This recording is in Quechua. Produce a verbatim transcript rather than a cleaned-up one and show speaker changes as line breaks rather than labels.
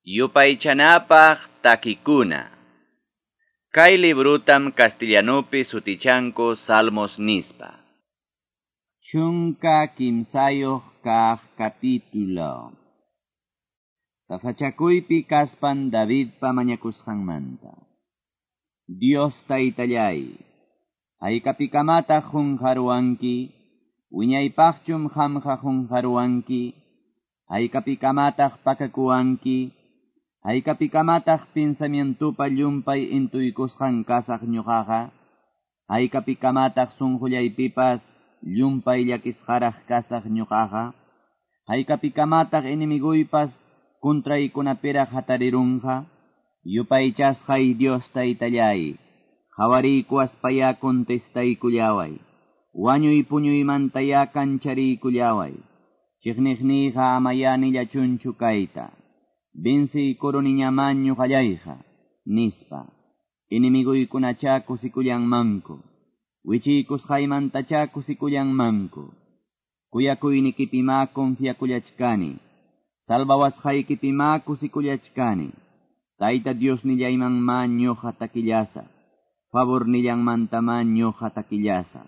Yupaychanapaq takikuna. Kay librutam castellanupi sutichanku Salmos nispa. Chunka kimsayuq kaq capítulo. Sasachakuypi kaspan Davidpa mañakusqanmanta. Dios taytallay, haykapikamataq qunqaruwanki, wiñaypaqchum qamqa qunqaruwanki, haykapikamataq pakakuwanki, haykapikamataq pensamientupa llumpay intuykusqan kasaq ñuqaqa, haykapikamataq sunqullaypipas llumpay llakisqaraq kasaq ñuqaqa, haykapikamataq enemiguypas contraykunapiraq hatarirunqa, yupaychasqay Dios taytallay, qawariykuwaspayá contestaykullaway, wañuy puñuymantayá kanchariykullaway, chiqniqniyqa amayá nillachunchu kayta, venciykuruniñamá ñuqallayqa, nispa, enemiguykunachá kusikullanmanku, wichiykusqaymantachá kusikullanmanku, kuyakuynikipimá confiakullachkani, salvawasqaykipimá kusikullachkani, Tayta Diosnillaymanmá ñuqa takillasaq, favornillanmantamá ñuqa takillasaq.